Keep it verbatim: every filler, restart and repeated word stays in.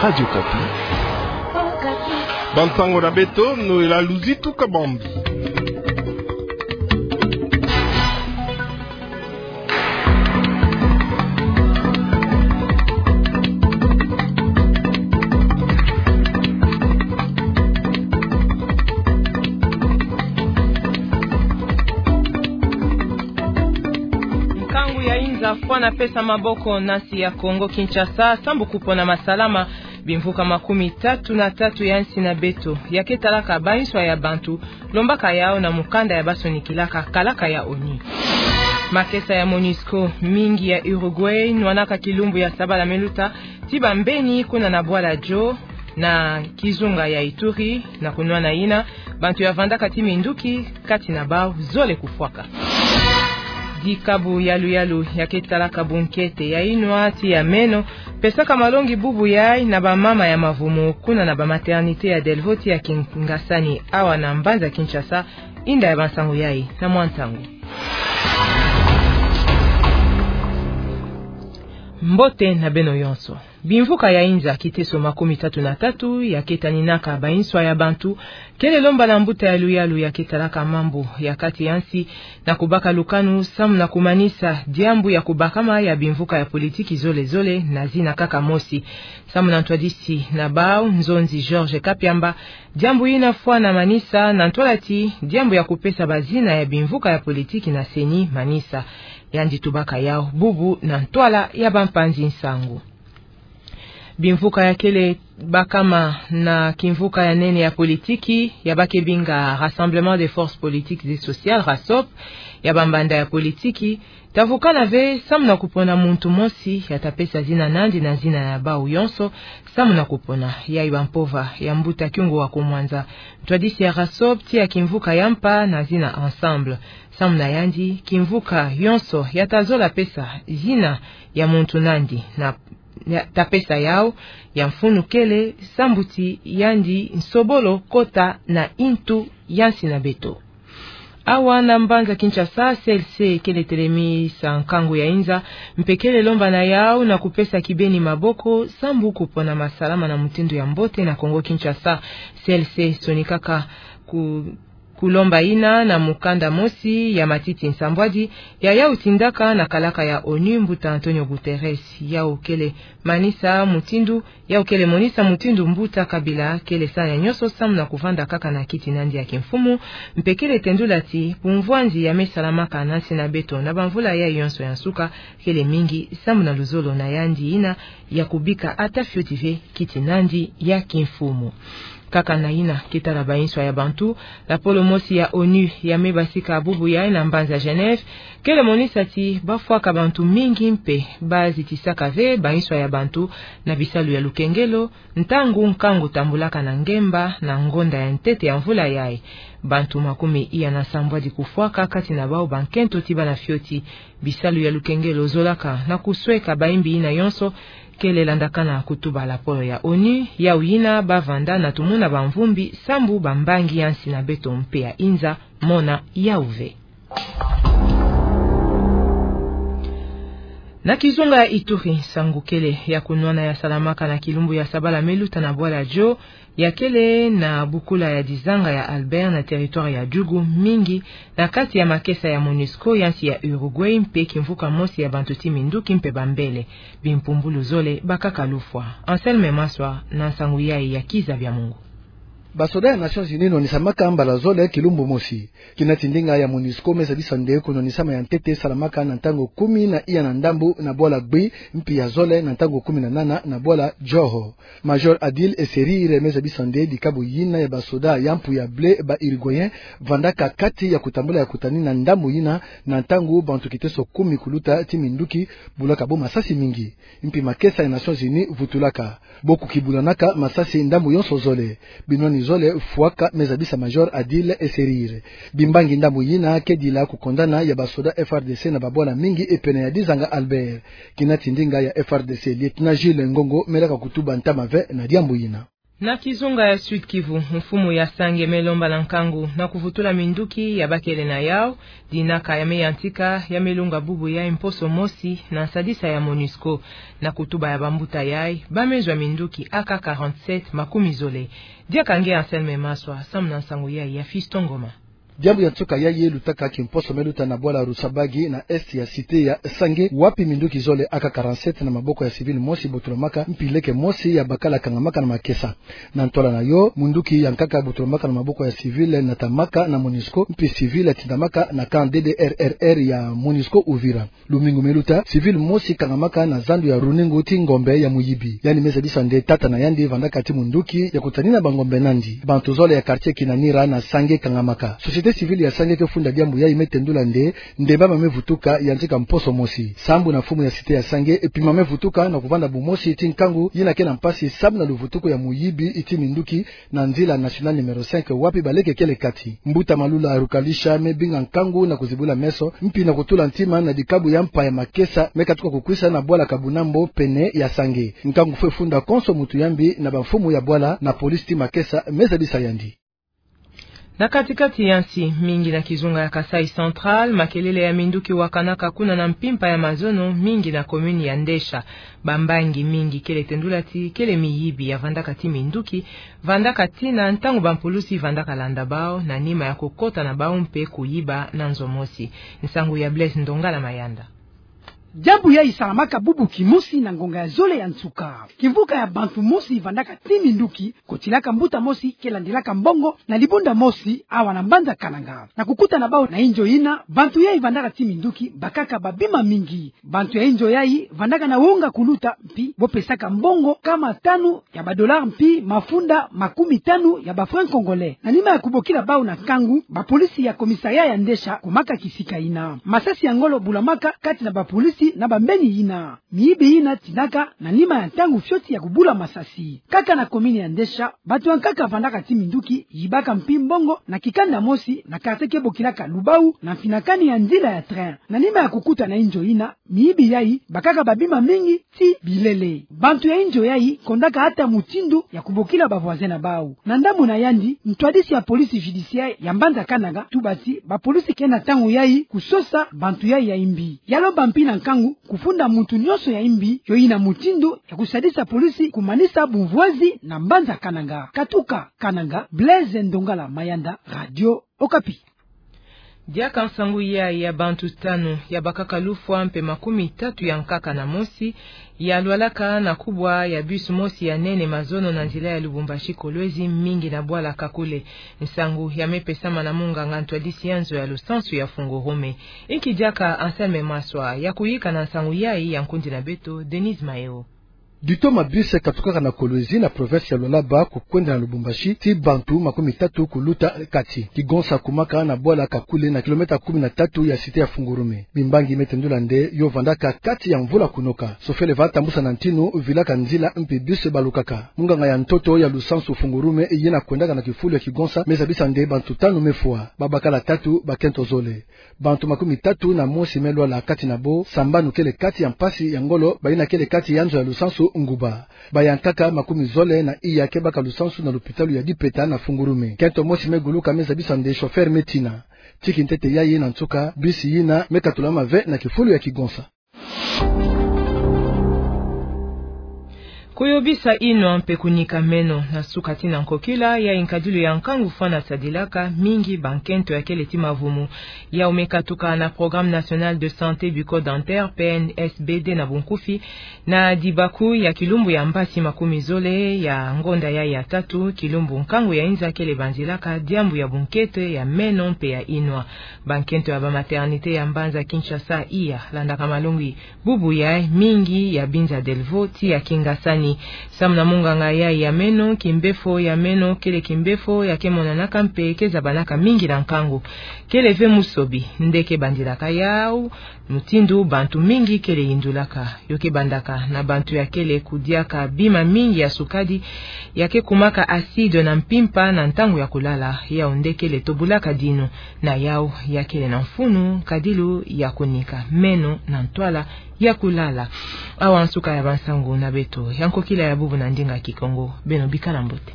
Radio Okapi. Bansango na beto, Noëlla Luzitu Kabambi. Nkangu ya inza fwana pesa maboko na nsi ya Kongo Kinshasa, sambu kupona masalama bimvuka makumi tatu na tatu ya nsi na beto, ya ke talaka banswa ya bantu, lombaka yau na mukanda ya basonikilaka kalaka ya ONU. Makesa ya MONUSCO mingi ya Uruguay nwanaka kilumbu ya sabala me luta ti bambeni kuna na bwala Djo na kizunga ya Ituri, na kunwana yina, bantu ya vandaka ti minduki kati na bau zole kufwaka. Dikabu yalu yalu ya ke talaka bunkete ya inwa ti ya meno, pesaka malongi bubu yai na bamama ya mavumu kuna na ba maternité ya Delvaux ti ya Kingasani awa na mbanza Kinshasa. Inda ya bansangu yai na mwa ntangu. Mbote na beno yonso. Bimvuka ya inza kiteso makumi tatu na tatu ya ke taninaka banswa ya bantu, kele lomba na mbuta yalu yalu ya ke talaka mambu ya kati ya nsi, na kubaka lukanu samu na kumanisa diambu ya kubakama ya bimvuka ya politiki zole zole na zina kaka mosi. Samu na ntwadisi na bau, nzonzi Georges Kapiamba, diambu yina fwana manisa na ntwala ti diambu ya kupesa bazina ya bimvuka ya politiki na CENI manisa. Yandi tubaka yau bubu na ntwala ya bampanzi nsangu. Bimvuka ya kele bakama na kimvuka ya nene ya politiki, ya ba ke binga Rassemblement des Forces Politiques et Sociales, RASOP, ya bambanda ya politiki, ta vukana ve samu na kupona muntu mosi ya ta pesa zina nandi na zina ya bau yonso, samu na kupona yai bampova ya mbuta Kyungu wa Kumwanza, ntwadisi ya RASOP ti ya kimvuka ya mpa na zina Ensemble. Samu na yandi, kimvuka yonso ya ta zola pesa zina ya muntu nandi na, ya ta pesa yau, ya mfunu kele sambu ti yandi nsobolo kota na intu ya nsi na beto. Awa na mbanza Kinshasa, CLC kele telemisa nkangu ya inza, mpe kele lomba na yau na kupesa kibeni maboko sambu kupona masalama na mutindu ya mbote na Kongo Kinshasa. CLC sonikaka ku kulomba yina na mukanda mosi ya matiti nsambwadi ya yau tindaka na kalaka ya ONU, mbuta Antonio Guterres. Yau kele manisa mutindu, yau kele monisa mutindu mbuta Kabila kele sa ya nyonso samu na kuvanda kaka na kiti nandi ya kimfumu, mpe kele tendula ti bumvwanzi ya me salamaka na nsi na beto na bamvula yai yonso ya nsuka kele mingi samu na luzolo na yandi yina ya kubika ata fioti ve kiti nandi ya kimfumu. Kaka na yina ke tala banswa ya bantu, lapolo mosi ya ONU ya me basika bubu yai na mbanza Genève kele monisa ti bafwaka bantu mingi mpe bazitisaka ve banswa ya bantu na bisalu ya lukengelo, ntangu nkangu tambulaka na ngemba na ngonda ya ntete ya mvula yai. Bantu makumi iya na nsambwadi kufwaka, kati na bau bankento ti bana fioti. Bisalu ya lukengelo zolaka na kusweka bayimbi yina yonso, kele landakana kutuba lapolo ya ONU, yau yina bavanda na tumuna bamvumbi sambu bambangi ya nsi na beto mpe ya inza mona yau ve. Na kizunga ya Ituri, nsangu kele ya kunwana ya salamaka na kilumbu ya sabala me luta na bwala Djo, ya kele na bukula ya dizanga ya Albert na territoire ya Djugu, mingi na kati ya makesa ya MONUSCO ya nsi ya Uruguay mpe kimvuka mosi ya bantu ti minduki mpe bambele. Bimpumbulu zole bakaka lufwa. Anselme Maswa na nsangu yai ya Kiza Bya Mungu. Basoda ya Nations Unies nwanisamaka mbala zole kilumbu mosi. Kina ti ndinga ya MONUSCO me zabisa nde kunwanisama ya ntete salamaka na ntangu kumi na iya na ndambu na bwala Gbi, mpi ya zole na ntangu kumi na nana na bwala Djoho. Major Adil Esserire me zabisa nde dikabu yina ya basoda ya mpu ya bleu ba Uruguayen vandaka kati ya kutambula ya kutani na ndambu yina na ntangu bantu kiteso kumi kuluta ti minduki bulaka bo masasi mingi. Mpi makesa ya Nations Unies vutulaka bo kukibulanaka masasi ndambu yonso zole. Binwani zole fwaka, me zabisa Major Adil Esserire. Bimbangi ndambu yina ke dila kukondana ya basoda F R D C na babwala mingi pene ya dizanga Albert. Kina ti ndinga ya F R D C, Lieutenant Jules Ngongo, me laka kutuba ntama ve na diambu yina. Na kizunga ya Sud-Kivu, mfumu ya Sange me lomba na nkangu na kuvutula minduki ya bakele na yau, dinaka ya me yantika ya me lunga bubu yai mposo mosi na nsadisa ya MONUSCO. Na kutuba ya bambuta yai, ba me zwa minduki A K quarante-sept makumi zole. Diaka nge Anselme Maswa, samu na nsangu yai ya Fiston Ngoma. Diambu ya nsuka yai lutaka kimposo me luta na bwala Rusabagi na est ya cité ya Sange, wapi minduki zole A K quarante-sept na maboko ya civil mosi botulamaka, mpi leke mosi ya bakala kangamaka na makesa. Na ntwala na yo, munduki ya nkaka botulamaka na maboko ya civil natamaka na MONUSCO, mpi civil tindamaka na camp D D R R R ya MONUSCO Uvira. Lumingu me luta, civil mosi kangamaka na zandu ya runingu ti ngombe ya muyibi. Yandi me zabisa nde tata na yandi vandaka ti munduki ya kutanina bangombe nandi. Bantu zole ya quartier Kinanira na Sange kangamaka. Société civile ya Sange ke funda diambu yai me tendula nde, nde mama me vutuka yantika mposo mosi. Sambu na mfumu ya cité ya Sange, e pima me vutuka na kuvanda bumosi ti nkangu yina ke na mpasi samu na luvutuku ya muyibi ti minduki na nzila nationale numéro cinq, wapi baleke kele kati. Mbuta Malula Rukalisha me binga nkangu na kuzibula meso, mpi na kutula ntima na dikabu ya mpa ya makesa me katuka kukwisa na bwala Kabunambo pene ya Sange. Nkangu fwe funda konso mutu ya mbi na bamfumu ya bwala na polisi ti makesa me zabisa yandi. Na kati-kati ya nsi, mingi na kizunga ya Kasaï Central, makelele ya minduki wakanaka kuna na mpimpa ya mazono, mingi na commune ya Ndesha. Bambangi mingi kele tendula ti kele miyibi ya vandaka ti minduki, vandaka tina ntangu bampulusi vandaka landa bau, na nima ya kukota na bau mpe kuyiba na nzo mosi. Nsangu ya Blaise Ndongala Mayanda. Diambu yai salamaka bubu kimosi na ngonga ya zole ya nsuka. Kimvuka ya bantu mosi vandaka ti minduki, kotilaka mbuta mosi ke landilaka mbongo na libunda mosi awa na mbanza Kananga. Na kukuta na bau na inzo yina, bantu yai vandaka ti minduki bakaka babima mingi. Bantu ya inzo yai vandaka na wonga kuluta, mpi bo pesaka mbongo nkama tanu ya badolari mpi mafunda makumi tanu ya bafranc congolais. Na nima ya kubokila bau na nkangu, bapolisi ya commissariat ya Ndesha kumaka kisika yina. Masasi ya ngolo bulamaka kati na bapolisi na bambeni yina. Miyibi yina tindaka na nima ya ntangu fioti ya kubula masasi. Kaka na commune ya Ndesha, bantu ya nkaka vandaka ti minduki yibaka mpi mbongo na kikanda mosi na quartier ke bokilaka Lubau na mfinakani ya nzila ya train. Na nima ya kukuta na inzo yina, miyibi yai bakaka babima mingi ti bilele. Bantu ya inzo yai kondaka ata mutindu ya kubokila ba voisins na bau. Na ndambu na yandi, ntwadisi ya police judiciaire ya mbanza Kananga tuba ti bapolisi ke na ntangu yai kusosa bantu yai ya imbi. Ya lomba mpi na nkangu kufunda muntu nyonso ya imbi yo yina mutindu ya kusadisa polisi kumanisa bumvwazi na mbanza Kananga. Katuka Kananga, Blaise Ndongala Mayanda, Radio Okapi. Diaka nsangu yai ya bantu tanu ya bakaka lufwa mpe makumi tatu ya nkaka na mosi ya lwalaka na kubwa ya bus mosi ya nene mazono na nzila ya Lubumbashi Kolwezi, mingi na bwala Kakule. Nsangu ya me pesama na munganga ntwadisi ya nzo ya lusansu ya Fungurume. Inki diaka Anselme Maswa ya kuyika na nsangu yai ya nkundi na beto, Denise Maeo. Ditoma bus katukaka na Kolwezi na province ya Lualaba kukwenda na Lubumbashi, ti bantu makumi tatu kuluta kati. Kigonsa kumaka na bwala Kakule na kilomètre kumi na tatu ya cité ya Fungurume. Bimbangi me tendula nde yo vandaka kati ya mvula kunoka. Sofele va tambusa na ntinu vilaka nzila mpi bus balukaka. Munganga ya ntoto ya lusansu Fungurume yina kwendaka na kifulu ya kigonsa me zabisa nde bantu tanu me fwa. Babakala tatu bakento zole. Bantu makumi tatu na mosi me lwala, kati na bo sambanu kele kati ya mpasi ya ngolo, bayina kele kati ya nzo ya lusansu nguba. Ba ya nkaka makumi zole na iya ke baka lusansu na lupitalu ya Dipeta na Fungurume. Kento mosi me guluka me zabisa nde chauffeur me tina. Tiki ntete yai na nsuka, bus yina me katulama ve na kifulu ya kigonsa. Kuyobisa inwa mpe kunika meno na suka tii na nkokila, yai nkadilu ya nkangu fwana sadilaka mingi bankento ya kele ti mavumu. Yau me katuka na Programme National de Santé Bucco-Dentaire, P N S B D na bunkufi, na dibaku ya kilumbu ya mbasi makumi zole ya ngonda yai ya tatu, kilumbu nkangu ya inza kele banzilaka diambu ya bunkete ya meno mpe ya inwa. Bankento ya ba maternité ya mbanza Kinshasa iya landaka malongi bubu yai, mingi ya binza Delvaux tii ya Kingasani. Samu na munganga yai ya meno, kimbefo ya meno kele kimbefo ya ke monanaka mpe ke zabanaka mingi na nkangu. Kele ve musobi nde ke bandilaka yau mutindu bantu mingi kele yindulaka. Yo ke bandaka na bantu ya kele kudiaka bima mingi ya sukadi, ya ke kumaka acide na mpimpa na ntangu ya kulala, yau nde kele tobulaka dinu. Na yau ya kele na mfunu nkadilu ya kunika meno na ntwala ya kulala. Awa nsuka ya bansangu na beto ya nkokila ya bubu na ndinga Kikongo. Beno bikala mbote.